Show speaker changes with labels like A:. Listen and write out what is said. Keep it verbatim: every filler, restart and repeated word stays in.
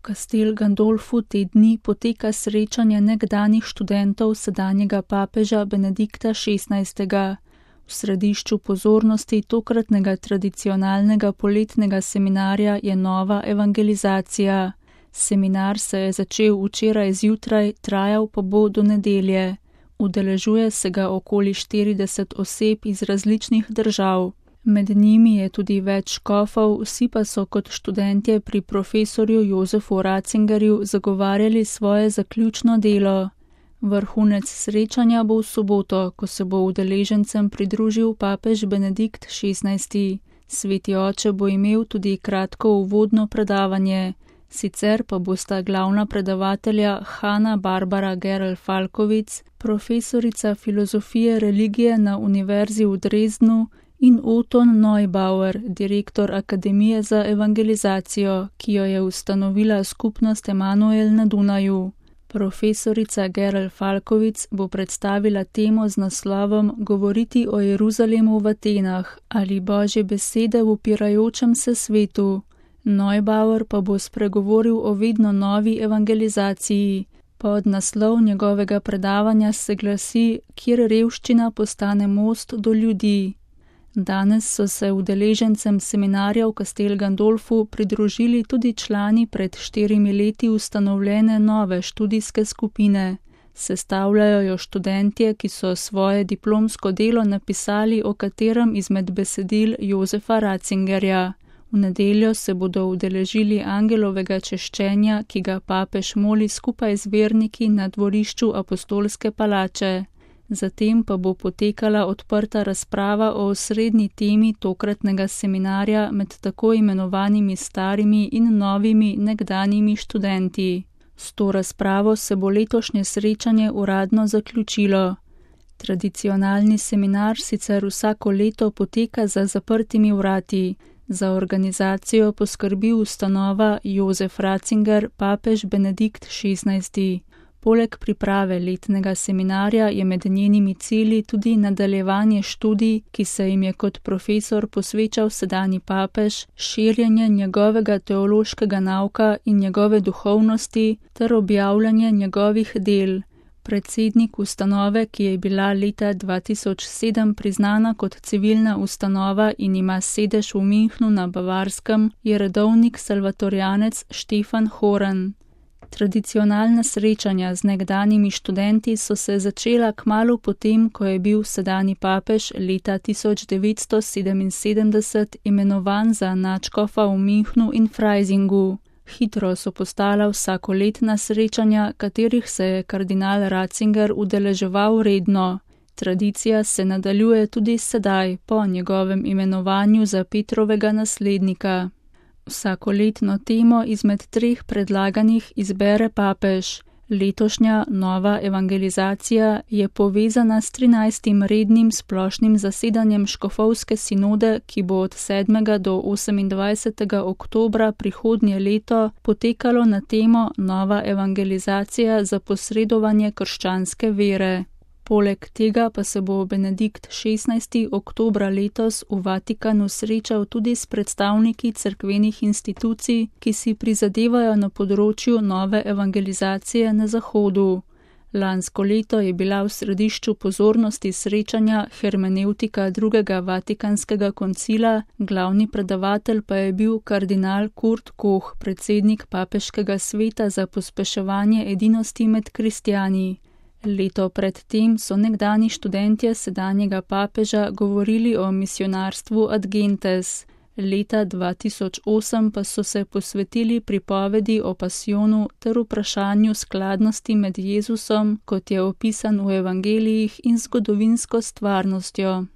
A: Castel Gandolfu te dni poteka srečanje nekdanjih študentov sedanjega papeža Benedikta šestnajstega. V središču pozornosti tokratnega tradicionalnega poletnega seminarja je nova evangelizacija. Seminar se je začel včeraj zjutraj, trajal pa bo do nedelje. Udeležuje se ga okoli štirideset oseb iz različnih držav. Med njimi je tudi več škofov, vsi pa so kot študentje pri profesorju Jozefu Ratzingerju zagovarjali svoje zaključno delo. Vrhunec srečanja bo v soboto, ko se bo udeležencem pridružil papež Benedikt šestnajsti. Sveti oče bo imel tudi kratko uvodno predavanje. Sicer pa bosta glavna predavatelja Hanna Barbara Gerl-Falkovic, profesorica filozofije religije na Univerzi v Dresdnu, in Oton Neubauer, direktor Akademije za evangelizacijo, ki jo je ustanovila skupnost Emanuel na Dunaju. Profesorica Gerl-Falkovic bo predstavila temo z naslovom Govoriti o Jeruzalemu v Atenah ali Božje besede v upirajočem se svetu. Neubauer pa bo spregovoril o vedno novi evangelizaciji. Pod naslov njegovega predavanja se glasi, kjer revščina postane most do ljudi. Danes so se udeležencem seminarja v Castel Gandolfu pridružili tudi člani pred štirimi leti ustanovljene nove študijske skupine. Sestavljajo jo študentje, ki so svoje diplomsko delo napisali o katerem izmed besedil Jozefa Ratzingerja. V nedeljo se bodo udeležili angelovega češčenja, ki ga papež moli skupaj z verniki na dvorišču apostolske palače. Zatem pa bo potekala odprta razprava o osrednji temi tokratnega seminarja med tako imenovanimi starimi in novimi nekdanjimi študenti. S to razpravo se bo letošnje srečanje uradno zaključilo. Tradicionalni seminar sicer vsako leto poteka za zaprtimi vrati. Za organizacijo poskrbi ustanova Jozef Ratzinger, papež Benedikt šestnajsti. Poleg priprave letnega seminarja je med njenimi cilji tudi nadaljevanje študij, ki se jim je kot profesor posvečal sedanji papež, širjenje njegovega teološkega nauka in njegove duhovnosti ter objavljanje njegovih del. Predsednik ustanove, ki je bila leta dva tisoč sedem priznana kot civilna ustanova in ima sedež v Münchnu na Bavarskem, je redovnik salvatorijanec Štefan Horn. Tradicionalna srečanja z nekdanjimi študenti so se začela kmalu potem, ko je bil sedanji papež leta tisoč devetsto sedeminsedemdeset imenovan za nadškofa v Münchnu in Freisingu. Hitro so postala vsakoletna srečanja, katerih se je kardinal Ratzinger udeleževal redno. Tradicija se nadaljuje tudi sedaj, po njegovem imenovanju za Petrovega naslednika. Vsakoletno temo izmed treh predlaganih izbere papež. Letošnja nova evangelizacija je povezana s trinajstim rednim splošnim zasedanjem škofovske sinode, ki bo od sedmega do osemindvajsetega oktobra prihodnje leto potekalo na temo Nova evangelizacija za posredovanje krščanske vere. Poleg tega pa se bo Benedikt šestnajsti oktobra letos v Vatikanu srečal tudi s predstavniki cerkvenih institucij, ki si prizadevajo na področju nove evangelizacije na Zahodu. Lansko leto je bila v središču pozornosti srečanja hermenevtika drugega Vatikanskega koncila, glavni predavatelj pa je bil kardinal Kurt Koch, predsednik papeškega sveta za pospeševanje edinosti med kristjani. Leto pred tem so nekdani študentje sedanjega papeža govorili o misionarstvu ad gentes. Leta dva tisoč osem pa so se posvetili pripovedi o pasijonu ter vprašanju skladnosti med Jezusom, kot je opisan v evangelijih, in zgodovinsko stvarnostjo.